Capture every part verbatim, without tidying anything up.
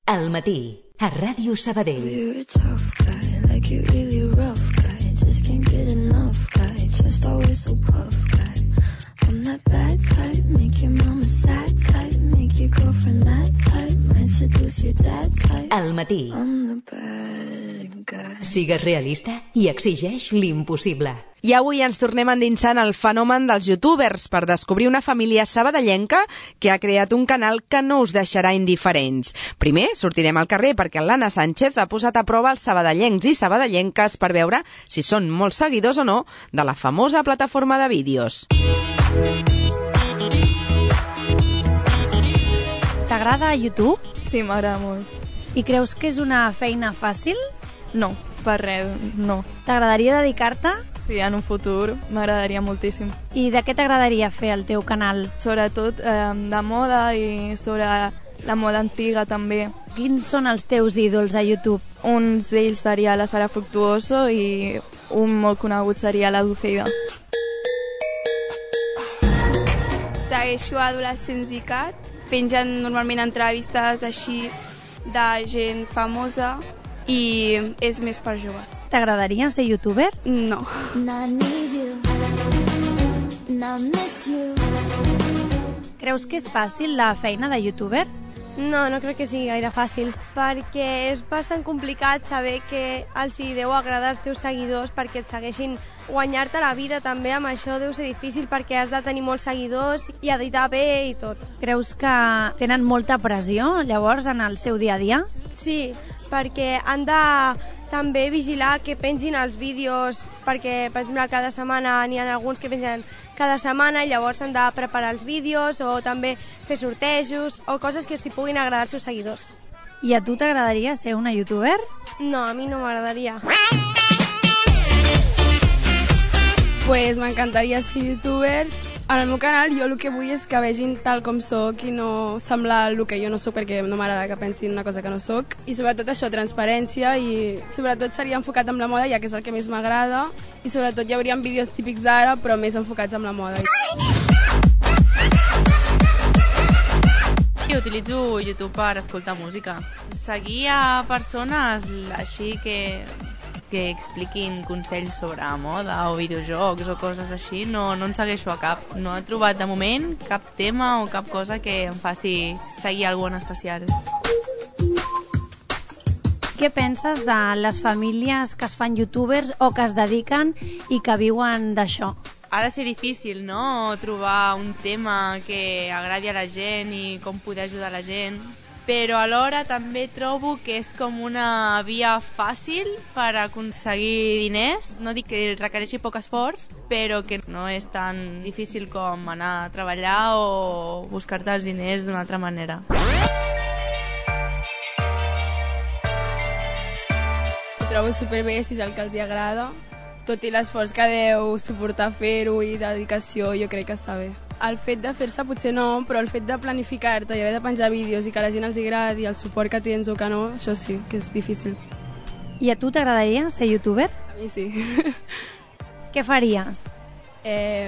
Al matí, a Ràdio Sabadell. You're a tough guy, like you're really a rough guy. Just can't get enough guy, just always so puff guy. I'm that bad type, make your mama sad type, make your girlfriend mad type, might seduce your dad type. Al matí. I'm the bad guy. Sigues realista i exigeix l'impossible. I avui ens tornem endinsant al fenomen dels youtubers per descobrir una família sabadellenca que ha creat un canal que no us deixarà indiferents. Primer sortirem al carrer perquè l'Anna Sánchez ha posat a prova els sabadellencs i sabadellenques per veure si són molts seguidors o no de la famosa plataforma de vídeos. T'agrada YouTube? Sí, m'agrada molt. I creus que és una feina fàcil? No, per res, no. T'agradaria dedicar-te? Sí, en un futur m'agradaria moltíssim. I de què t'agradaria fer el teu canal? Sobretot eh, de moda i sobre la moda antiga també. Quins són els teus ídols a YouTube? Un d'ells seria la Sara Fructuoso i un molt conegut seria la Dulceida. Segueixo Adolescents i Cat. Pengen normalment entrevistes així de gent famosa i és més per joves. T'agradaria ser youtuber? No. Creus que és fàcil la feina de youtuber? No, no crec que sigui gaire fàcil, perquè és bastant complicat saber que els hi deu agradar als teus seguidors perquè et segueixin. Guanyar-te la vida també amb això deu ser difícil perquè has de tenir molts seguidors i editar bé i tot. Creus que tenen molta pressió llavors en el seu dia a dia? Sí, perquè han de també vigilar que pengin els vídeos, perquè, per exemple, cada setmana n'hi ha alguns que pengen cada setmana i llavors han de preparar els vídeos o també fer sortejos o coses que s'hi puguin agradar als seus seguidors. I a tu t'agradaria ser una youtuber? No, a mi no m'agradaria. Pues m'encantaria ser youtuber. En el meu canal jo el que vull és que vegin tal com soc i no semblar el que jo no soc, perquè no m'agrada que pensin una cosa que no soc. I sobretot això, transparència, i sobretot seria enfocat amb la moda, ja que és el que més m'agrada. I sobretot hi hauria vídeos típics d'ara, però més enfocats amb la moda. I utilitzo YouTube per escoltar música. Seguir a persones així que... que expliquin consells sobre moda o videojocs o coses així, no, no en segueixo a cap. No he trobat de moment cap tema o cap cosa que em faci seguir algú en especial. Què penses de les famílies que es fan youtubers o que es dediquen i que viuen d'això? Ha de ser difícil, no?, trobar un tema que agradi a la gent i com poder ajudar la gent. Però alhora també trobo que és com una via fàcil per aconseguir diners. No dic que requereixi poc esforç, però que no és tan difícil com anar a treballar o buscar-te els diners d'una altra manera. Ho trobo superbé si és el que els agrada. Tot i l'esforç que deu suportar fer-ho i dedicació, jo crec que està bé. El fet de fer-se potser no, però el fet de planificar-te i haver de penjar vídeos i que a la gent els agradi i el suport que tens o que no, això sí, que és difícil. I a tu t'agradaria ser youtuber? A mi sí. Què faries? Eh,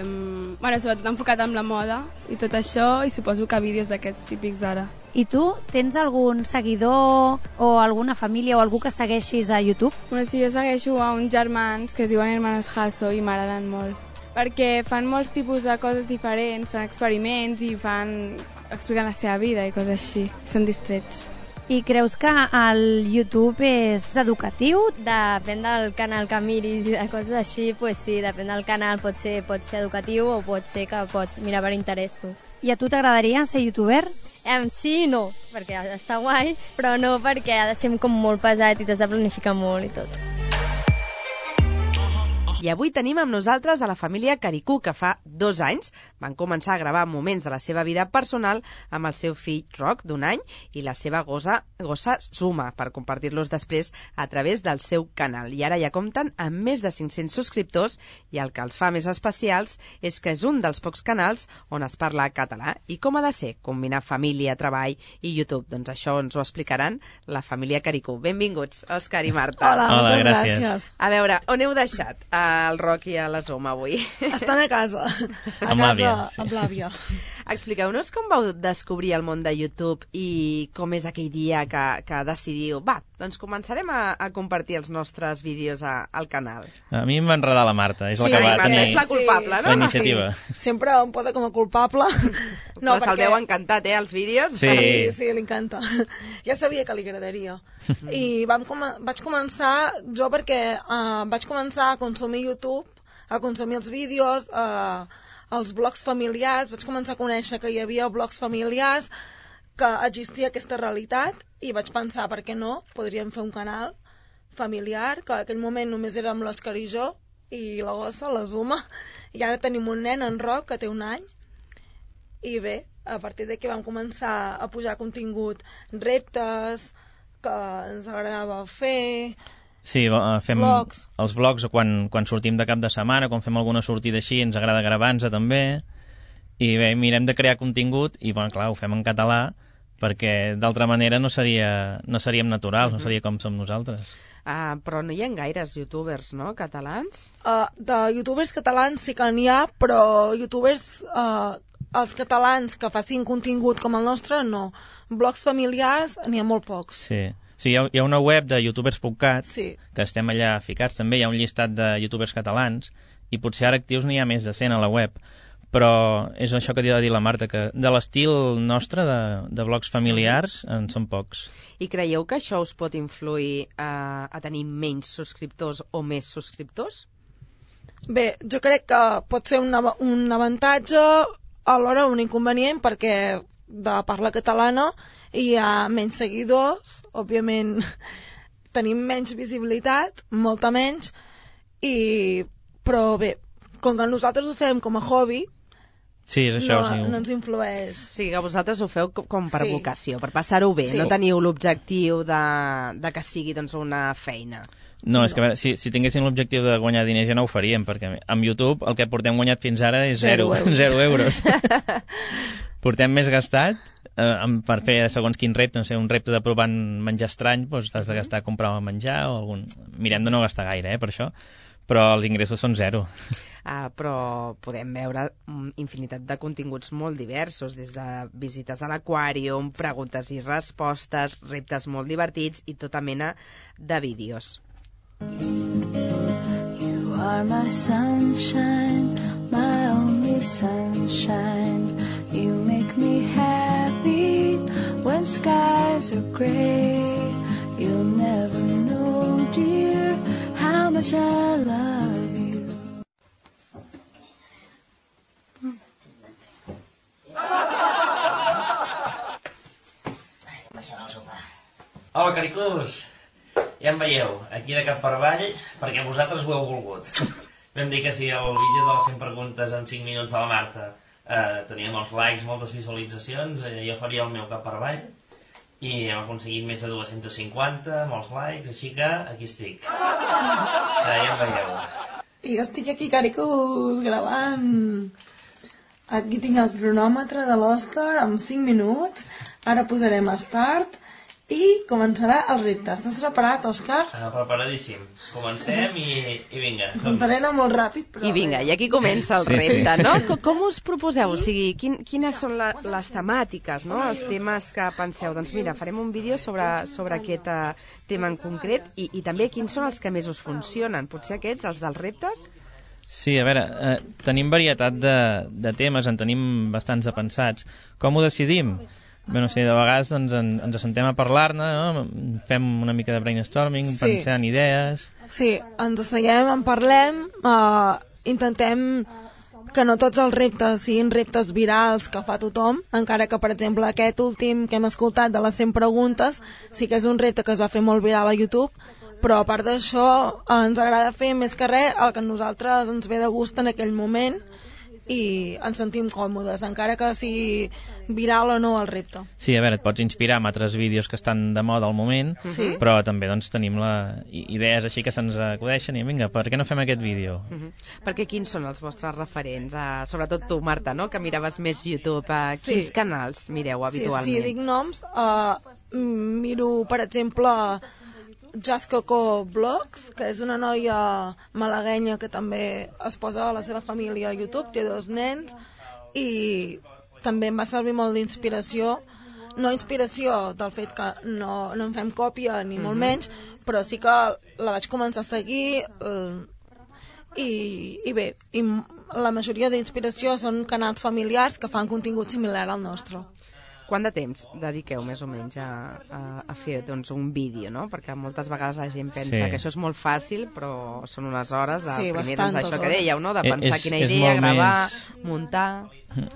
bueno, sobretot enfocat amb la moda i tot això, i suposo que vídeos d'aquests típics d'ara. I tu, tens algun seguidor o alguna família o algú que segueixis a YouTube? Bueno, sí, jo segueixo a uns germans que es diuen Hermanos Hasso i m'agraden molt. Perquè fan molts tipus de coses diferents, fan experiments i fan expliquen la seva vida i coses així. Són distrets. I creus que el YouTube és educatiu? Depèn del canal que miris i de coses així, pues sí, depèn del canal, pot ser, pot ser educatiu o pot ser que pots mirar per interès tu. I a tu t'agradaria ser youtuber? Eh, sí i no, perquè està guai, però no perquè ha de ser com molt pesat i t'has de planificar molt i tot. I avui tenim amb nosaltres a la família Caricú, que fa dos anys van començar a gravar moments de la seva vida personal amb el seu fill Roc, d'un any, i la seva gossa, gossa Suma, per compartir-los després a través del seu canal. I ara ja compten amb més de cinc-cents subscriptors i el que els fa més especials és que és un dels pocs canals on es parla català. I com ha de ser combinar família, treball i YouTube? Doncs això ens ho explicaran la família Caricú. Benvinguts, Òscar i Marta. Hola, Hola, moltes gràcies. gràcies. A veure, on heu deixat el Roc i a la Suma avui? Estan a casa. A Amb casa, l'àvia, sí. amb l'àvia. Expliqueu-nos com vau descobrir el món de YouTube i com és aquell dia que, que decidiu, va, doncs començarem a, a compartir els nostres vídeos a, al canal. A mi em va enredar la Marta, és sí, la que va Marta, tenir ets la culpable, sí, no? la iniciativa. Sí. Sempre em posa com a culpable. No, Però perquè... se'l veu encantat, eh, els vídeos? Sí, sí, sí li encanta. Ja sabia que li agradaria. I vam com vaig començar, jo perquè uh, vaig començar a consumir YouTube, a consumir els vídeos, uh, els blogs familiars, vaig començar a conèixer que hi havia blogs familiars, que existia aquesta realitat, i vaig pensar, per què no, podríem fer un canal familiar, que en aquell moment només érem l'Òscar i jo, i la gossa, la Zuma, i ara tenim un nen, en Roc, que té un any, i bé, a partir d'aquí vam començar a pujar contingut, reptes que ens agradava fer... Sí, fem blogs. Els blogs quan, quan sortim de cap de setmana, quan fem alguna sortida així, ens agrada gravar-nos també, i bé, mirem de crear contingut, i bueno, clar, ho fem en català, perquè d'altra manera no, seria, no seríem naturals, uh-huh. no seria com som nosaltres. Uh, però no hi ha gaires youtubers, no?, catalans? Uh, de youtubers catalans sí que n'hi ha, però youtubers, uh, els catalans que facin contingut com el nostre, no. Blogs familiars n'hi ha molt pocs. Sí. Sí, hi ha, hi ha una web de youtubers punt cat, sí. que estem allà ficats també, hi ha un llistat de youtubers catalans, i potser ara actius n'hi ha més de cent a la web, però és això que havia de dir la Marta, que de l'estil nostre, de, de blogs familiars, en són pocs. I creieu que això us pot influir a, a tenir menys subscriptors o més subscriptors? Bé, jo crec que pot ser un, un avantatge, alhora un inconvenient, perquè de parla catalana hi ha menys seguidors, òbviament tenim menys visibilitat, molta menys, i... però bé, com que nosaltres ho fem com a hobby, sí, és això, no, sí. no ens influeix. O sigui que vosaltres ho feu com per sí. vocació, per passar-ho bé, sí. no teniu l'objectiu de, de que sigui doncs, una feina. No, és que a veure, si, si tinguéssim l'objectiu de guanyar diners ja no ho faríem, perquè amb YouTube el que portem guanyat fins ara és zero, zero euros. Portem més gastat eh, per fer segons quin repte, no sé, un repte de provar menjar estrany, doncs t'has de gastar a comprar menjar o algun... Mirem de no gastar gaire, eh, per això, però els ingressos són zero. Ah, però podem veure infinitat de continguts molt diversos, des de visites a l'aquàrium, preguntes i respostes, reptes molt divertits i tota mena de vídeos. You are my sunshine, my only sunshine. You make me happy when skies are gray. You'll never know, dear, how much I love you. Hola, caricús! Ja em veieu, aquí de cap per avall, perquè vosaltres ho heu volgut. Vam dir que si el vídeo de les cent preguntes en cinc minuts de la Marta eh, tenia molts likes, moltes visualitzacions, eh, jo faria el meu cap per avall, i hem aconseguit més de dos-cents cinquanta, molts likes, així que aquí estic. Eh, ja em veieu. I jo estic aquí, caricús, gravant. Aquí tinc el cronòmetre de l'Òscar amb cinc minuts. Ara posarem start i començarà el repte. Estàs preparat, Òscar? Uh, preparadíssim. Comencem i, i vinga. Contaré anar molt ràpid, però... I vinga, i aquí comença el sí, repte, sí. no? Com, com us proposeu? O sigui, quin, quines són la, les temàtiques, no? Els temes que penseu. Doncs mira, farem un vídeo sobre, sobre aquest uh, tema en concret i, i també quins són els que més us funcionen. Potser aquests, els dels reptes? Sí, a veure, eh, tenim varietat de, de temes, en tenim bastants de pensats. Com ho decidim? Bé, no sé, de vegades doncs, en, ens assentem a parlar-ne, no? Fem una mica de brainstorming, sí. Pensant idees... Sí, ens asseiem, en parlem, uh, intentem que no tots els reptes siguin reptes virals que fa tothom, encara que, per exemple, aquest últim que hem escoltat de les cent preguntes sí que és un repte que es va fer molt viral a YouTube, però a part d'això ens agrada fer més que res el que a nosaltres ens ve de gust en aquell moment i ens sentim còmodes, encara que sigui viral o no el repte. Sí, a veure, et pots inspirar amb altres vídeos que estan de moda al moment, sí. Però també doncs, tenim la... idees així que se'ns acudeixen i vinga, per què no fem aquest vídeo? Uh -huh. Perquè quins són els vostres referents? Uh, sobretot tu, Marta, no?, que miraves més YouTube. Uh, quins sí. canals mireu habitualment? Sí, sí, dic noms. Uh, miro, per exemple... Just Coco Vlogs, que és una noia malaguenya que també es posa a la seva família a YouTube, té dos nens, i també em va servir molt d'inspiració, no inspiració del fet que no, no en fem còpia ni molt menys, però sí que la vaig començar a seguir eh, i, i bé, i la majoria d'inspiració són canals familiars que fan contingut similar al nostre. Quant de temps dediqueu més o menys a, a, a fer doncs, un vídeo, no? Perquè moltes vegades la gent pensa Sí. que això és molt fàcil, però són unes hores de, Sí, primer, doncs, bastantes això que hores. dèieu, no? De pensar És- quina és idea, molt gravar, més- muntar...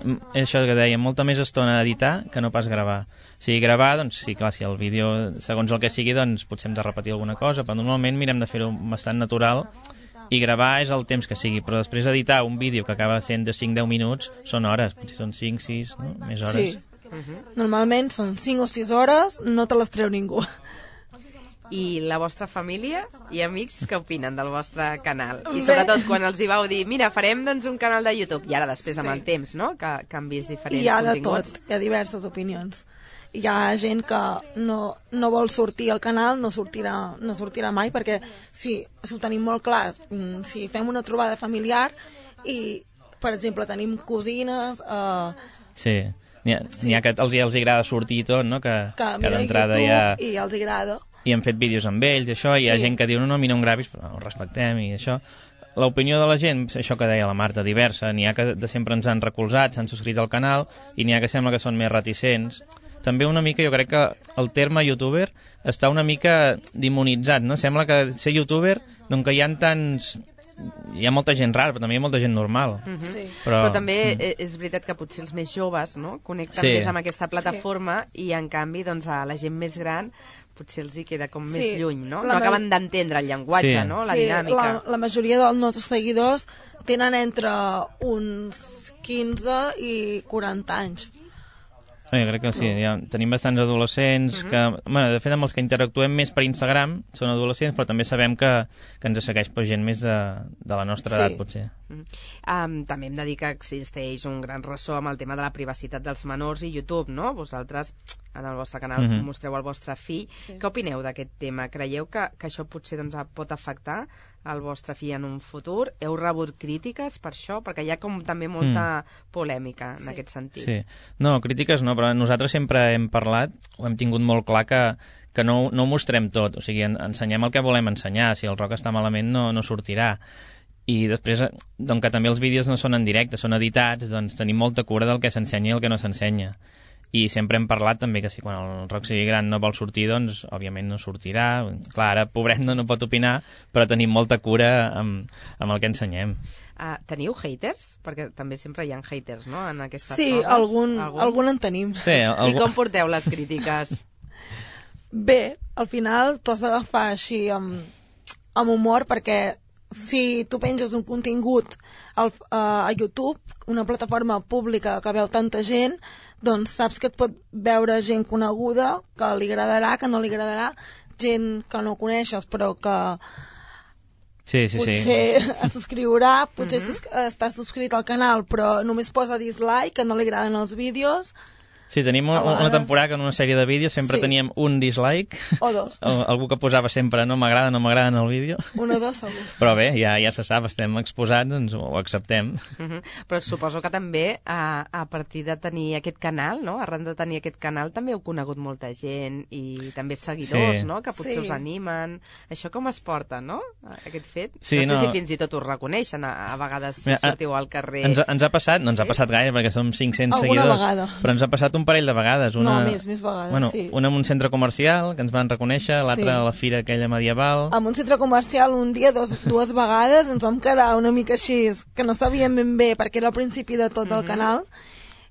Mm, És això que deia, molta més estona a editar que no pas gravar. O sigui, gravar, doncs sí, clar, si el vídeo, segons el que sigui, doncs potser hem de repetir alguna cosa, però normalment mirem de fer-ho bastant natural i gravar és el temps que sigui, però després editar un vídeo que acaba sent de cinc a deu minuts són hores, potser són cinc, sis, no? Més hores. Sí. Normalment són cinc o sis hores, no te les treu ningú. I la vostra família i amics què opinen del vostre canal? I sobretot quan els hi vau dir, mira, farem doncs, un canal de YouTube, i ara després amb Sí. el temps, no?, que, que han vist diferents Hi ha de continguts. tot, hi ha diverses opinions. Hi ha gent que no, no vol sortir al canal, no sortirà, no sortirà mai, perquè si, si ho tenim molt clar, mm, si fem una trobada familiar i, per exemple, tenim cosines... Eh, Sí, n'hi ha, n'hi ha que els, els agrada sortir i tot, no? Que, que que mira d'entrada YouTube ja... i els agrada. I hem fet vídeos amb ells, i això, i hi ha Sí. gent que diu, no, no, a mi no em gravis, però ho respectem, i això. L'opinió de la gent, això que deia la Marta, diversa. N'hi ha que de sempre ens han recolzat, s'han subscrit al canal, i n'hi ha que sembla que són més reticents. També una mica, jo crec que el terme youtuber està una mica demonitzat, no? Sembla que ser youtuber, doncs que hi ha tants... Hi ha molta gent rara, però també hi ha molta gent normal. Mhm. Sí. Però, Però, però també mm. eh, és veritat que potser els més joves, no?, connecten Sí. més amb aquesta plataforma i en canvi doncs, a la gent més gran potser els hi queda com més Sí. lluny, no? La No ma- acaben d'entendre el llenguatge, Sí. no?, la sí, dinàmica. La, la majoria dels nostres seguidors tenen entre uns quinze i quaranta anys. Eh, crec que sí, ja tenim bastants adolescents que, bueno, de fet amb els que interactuem més per Instagram són adolescents, però també sabem que, que ens segueix per gent més de, de la nostra Sí. edat, potser. Mm. Um, també hem de dir que existeix un gran ressò amb el tema de la privacitat dels menors i YouTube, no? Vosaltres en el vostre canal Mhm. mostreu el vostre fill. Sí. Què opineu d'aquest tema? Creieu que, que això potser doncs, pot afectar el vostre fill en un futur? Heu rebut crítiques per això? Perquè hi ha com també molta polèmica en Sí. aquest sentit. Sí. No, crítiques no, però nosaltres sempre hem parlat, ho hem tingut molt clar que, que no, no ho mostrem tot, o sigui, en, ensenyem el que volem ensenyar, si el rock està malament no, no sortirà. I després, doncs que també els vídeos no són en directe, són editats, doncs tenim molta cura del que s'ensenya i el que no s'ensenya. I sempre hem parlat també que si quan el rock sigui gran no vol sortir, doncs òbviament no sortirà. Clar, ara pobret no, no pot opinar, però tenim molta cura amb, amb el que ensenyem. Uh, teniu haters? Perquè també sempre hi ha haters, no?, en aquestes Sí, coses. algun, algun en tenim. Sí, I algú... com porteu les crítiques? Bé, al final t'ho has d'agafar així amb, amb humor, perquè si tu penges un contingut al, a, a YouTube, una plataforma pública que veu tanta gent, doncs saps que et pot veure gent coneguda, que li agradarà, que no li agradarà, gent que no coneixes però que Sí, sí, sí. potser es subscriurà, potser Mhm. sus està subscrit al canal però només posa dislike, que no li agraden els vídeos, Sí, tenim una, A una vegades- temporada que en una sèrie de vídeos sempre Sí. teníem un dislike, o dos, o algú que posava sempre no m'agrada, no m'agrada en el vídeo, un o dos segur. però bé, ja, ja se sap, estem exposats, doncs ho acceptem. Uh -huh. Però suposo que també a, a partir de tenir aquest canal, no? Arran de tenir aquest canal també heu conegut molta gent i també seguidors, Sí. no? Que potser Sí. us animen. Això com es porta, no? Aquest fet. Sí, no sé no. si fins i tot us reconeixen a, a vegades si Mira, sortiu al carrer. Ens, ha- ens ha passat, no ens ha Sí? passat gaire perquè som cinc-cents Alguna seguidors, vegada. però ens ha passat un parell de vegades. Una, No, més, més vegades, bueno, sí. una en un centre comercial, que ens van reconèixer, l'altra Sí. a la fira aquella medieval. En un centre comercial un dia, dos, dues vegades, ens vam quedar una mica així, que no sabíem ben bé, perquè era el principi de tot el canal,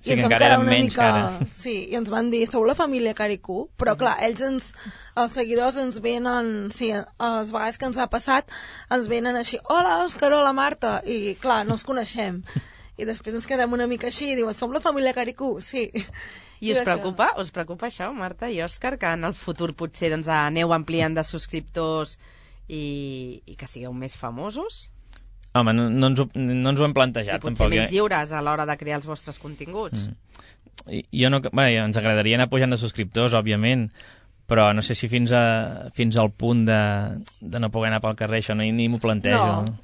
Sí, i ens que vam encara quedar eren una menys mica... que ara. Sí, i ens van dir, sou la família Caricú? Però clar, ells ens, els seguidors ens venen, sí, a les vegades que ens ha passat, ens venen així, hola Òscar, hola Marta, i clar, no els coneixem. I després ens quedem una mica així, i diuen, som la família Caricú? Sí. I us vas preocupa, us preocupa això, Marta i Òscar, que en el futur potser doncs, aneu ampliant de subscriptors i, i que sigueu més famosos? Home, no, no, ens ho, no ens ho hem plantejat. I potser tampoc, menys eh? lliures a l'hora de crear els vostres continguts? Mm. I- Jo no, bé, ens agradaria anar pujant de subscriptors, òbviament, però no sé si fins, a, fins al punt de, de no poder anar pel carrer, això ni, ni m'ho plantejo. No,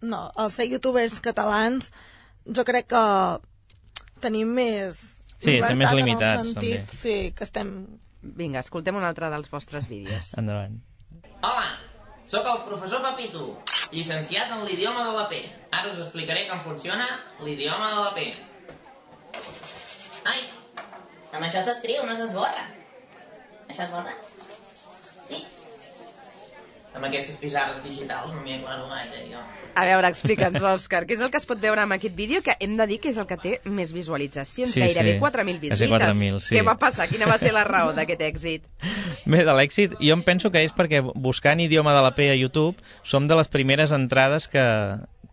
no, els ser youtubers catalans jo crec que tenim més... Sí, estem més limitats, en el sentit, també. Sí, que estem... Vinga, escoltem un altre dels vostres vídeos. Endavant. Hola, sóc el professor Papito, llicenciat en l'idioma de la P. Ara us explicaré com funciona l'idioma de la P. Ai, amb això s'escriu, no s'esborra. Això esborra? Sí. Amb aquestes pissarres digitals no m'hi aclaro gaire, jo. A veure, explica'ns, Òscar, què és el que es pot veure amb aquest vídeo, que hem de dir que és el que té més visualitzacions, Sí, gairebé sí. quatre mil visites. Quasi quatre mil, sí. Què va passar? Quina va ser la raó d'aquest èxit? Bé, de l'èxit, jo em penso que és perquè buscant idioma de la P a YouTube som de les primeres entrades que,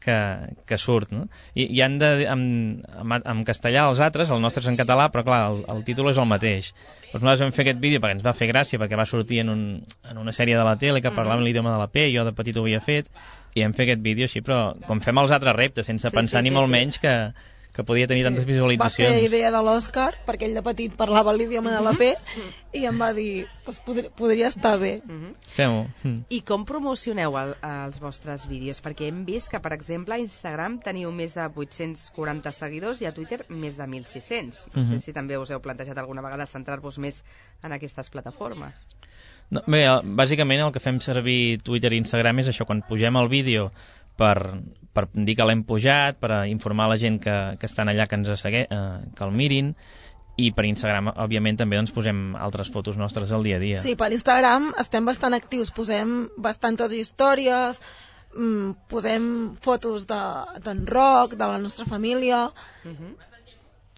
que, que surt, no? I, i han de, en, en, en castellà els altres, el nostre és en català, però clar, el, el títol és el mateix. Doncs nosaltres vam fer aquest vídeo perquè ens va fer gràcia, perquè va sortir en, un, en una sèrie de la tele que parlava mm-hmm. l'idioma de la P, jo de petit ho havia fet, i hem fet aquest vídeo així, però com fem els altres reptes, sense Sí, pensar sí, ni sí, molt sí. menys que, que podia tenir tantes Va visualitzacions. ser idea de l'Òscar, perquè ell de petit parlava l'idioma de la P, i em va dir, pues, podria, podria estar bé. Fem-ho. Mm. I com promocioneu el, els vostres vídeos? Perquè hem vist que, per exemple, a Instagram teniu més de vuit-cents quaranta seguidors i a Twitter més de mil sis-cents. No sé Mhm. si també us heu plantejat alguna vegada centrar-vos més en aquestes plataformes. No, bé, bàsicament el que fem servir Twitter i Instagram és això, quan pugem el vídeo per, per dir que l'hem pujat, per informar la gent que, que estan allà que ens segui, eh, que el mirin, i per Instagram, òbviament, també doncs, posem altres fotos nostres al dia a dia. Sí, per Instagram estem bastant actius, posem bastantes històries, mm, posem fotos de- d'en Roc, de la nostra família...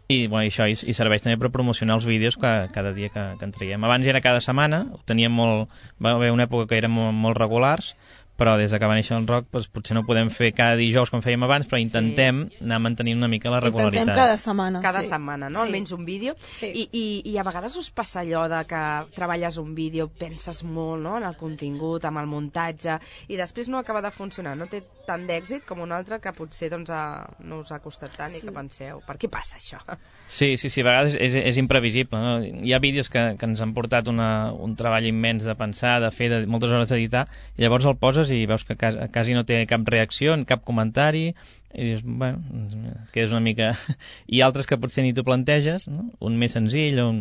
I, bueno, això, i, i serveix també per promocionar els vídeos que, cada dia que, que en traiem. Abans era cada setmana, ho teníem molt, va haver una època que eren molt, molt regulars, però des que va néixer el rock doncs, potser no podem fer cada dijous com fèiem abans, però intentem anar mantenint una mica la regularitat. Intentem cada setmana. Cada sí. setmana, no? Sí. Almenys un vídeo. I, i, I a vegades us passa allò de que treballes un vídeo, penses molt, no?, en el contingut, amb el muntatge, i després no acaba de funcionar. No té tant d'èxit com un altre que potser doncs, a, no us ha costat tant sí. i que penseu, per què passa això? Sí, sí, sí, a vegades és, és imprevisible. No? Hi ha vídeos que, que ens han portat una, un treball immens de pensar, de fer, de moltes hores d'editar, i llavors el poses i veus que quasi, quasi no té cap reacció, cap comentari, i dius, bueno, que és una mica... I altres que potser ni t'ho planteges, no? Un més senzill, un,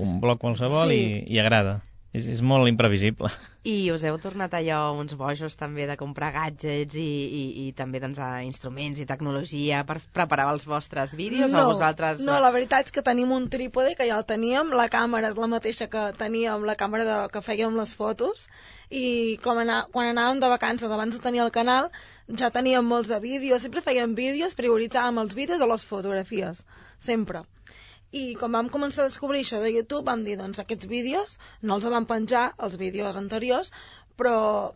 un bloc qualsevol, Sí. i, i agrada. És, és molt imprevisible. I us heu tornat allò uns bojos també de comprar gadgets i, i, i també doncs, a instruments i tecnologia per preparar els vostres vídeos no, o vosaltres... No, la veritat és que tenim un trípode que ja el teníem, la càmera és la mateixa que teníem, la càmera de, que fèiem les fotos, i com anar, quan anàvem de vacances abans de tenir el canal ja teníem molts de vídeos, sempre fèiem vídeos, prioritzàvem els vídeos o les fotografies, sempre. I quan vam començar a descobrir això de YouTube vam dir, doncs aquests vídeos no els vam penjar, els vídeos anteriors, però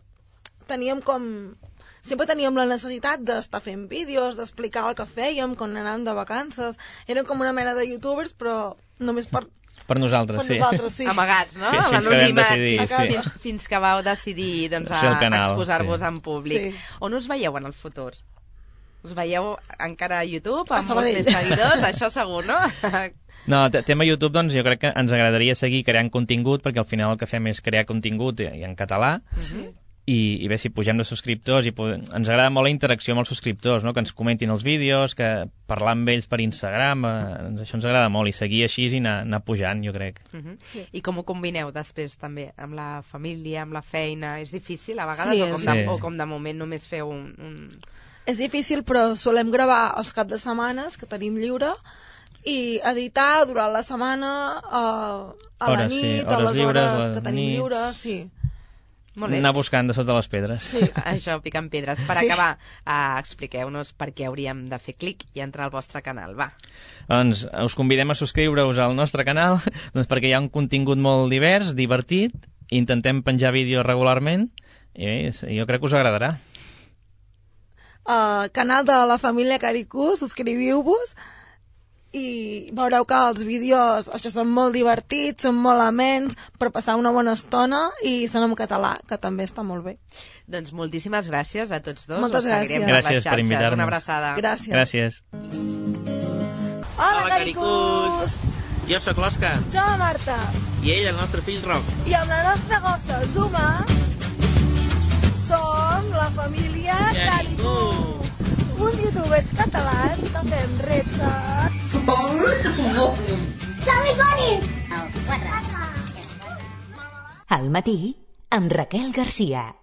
teníem com... Sempre teníem la necessitat d'estar fent vídeos, d'explicar el que fèiem quan anàvem de vacances. Érem com una mena de youtubers, però només per... Per nosaltres, Per sí. nosaltres, sí. Amagats, no? Fins, fins que vam L'anonimat, decidir, fins, sí. fins, fins que vau decidir doncs, a, Fer el canal, exposar-vos sí. en públic. Sí. On us veieu en el futur? Us veieu encara a YouTube, A amb molts Sabadell. més seguidors? Això segur, no? No, te- tema YouTube, doncs jo crec que ens agradaria seguir creant contingut, perquè al final el que fem és crear contingut i, i en català, Sí. i, i bé, si pugem de subscriptors, i po- ens agrada molt la interacció amb els subscriptors, no? Que ens comentin els vídeos, que parlar amb ells per Instagram, eh, ens- això ens agrada molt, i seguir així i anar, anar pujant, jo crec. Uh -huh. sí. I com ho combineu després també amb la família, amb la feina? És difícil a vegades Sí, o, com és- de, Sí. o com de moment només feu un... un... És difícil, però solem gravar els caps de setmanes que tenim lliure i editar durant la setmana uh, a la Hores, sí, nit, a hores les lliures, hores les que tenim nits. lliures, sí. Molt bé. Anar buscant de sota les pedres. Sí. Això, picant pedres. Per Sí. acabar, uh, expliqueu-nos per què hauríem de fer clic i entrar al vostre canal, va. Doncs us convidem a subscriure-us al nostre canal, doncs perquè hi ha un contingut molt divers, divertit, intentem penjar vídeos regularment, i bé, jo crec que us agradarà. Uh, canal de la família Caricú, subscriviu-vos i veureu que els vídeos això són molt divertits, són molt amens per passar una bona estona i són en català, que també està molt bé. Doncs moltíssimes gràcies a tots dos. Moltes Us seguirem gràcies. per les Gràcies per xarxes. invitar-nos. Una abraçada. Gràcies. Gràcies. Hola, Hola, Caricús! Caricús! Jo sóc l'Òscar, Jo, la Marta, i ell, el nostre fill Roc. i amb la nostra gossa Zuma som la família Caricú, uns youtubers catalans que fem reptes Charlie Bunny! Al matí, amb Raquel Garcia.